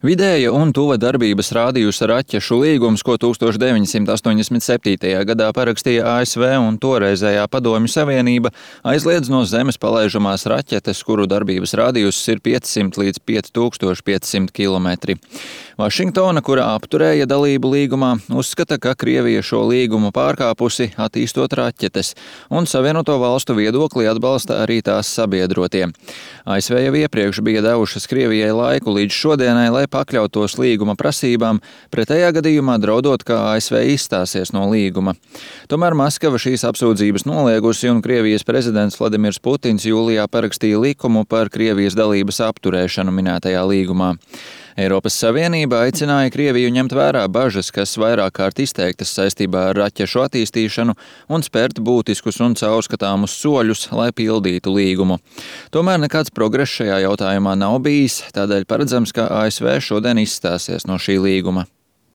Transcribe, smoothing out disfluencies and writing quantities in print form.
Vidēja un tuva darbības rādījusa raķešu līgums, ko 1987. gadā parakstīja ASV un toreizējā Padomju Savienība, aizliedz no Zemes palaižamās raķetes, kuru darbības rādījus ir 500 līdz 5500 km. Vašingtona, kura apturēja dalību līgumā, uzskata, ka Krievija šo līgumu pārkāpusi, attīstot raķetes, un Savienoto valstu viedokli atbalsta arī tās sabiedrotie. ASV jau iepriekš bija devušas Krievijai laiku līdz šodienai, lai pakļautos līguma prasībām, pretējā gadījumā draudot, ka ASV izstāsies no līguma. Tomēr Maskava šīs apsūdzības noliegusi, un Krievijas prezidents Vladimirs Putins jūlijā parakstīja likumu par Krievijas dalības apturēšanu minētajā līgumā. Eiropas Savienība aicināja Krieviju ņemt vērā bažas, kas vairāk kārt izteiktas saistībā ar raķešu attīstīšanu, un spērt būtiskus un caurskatāmus soļus, lai pildītu līgumu. Tomēr nekāds progress šajā jautājumā nav bijis, tādēļ paredzams, ka ASV šodien izstāsies no šī līguma.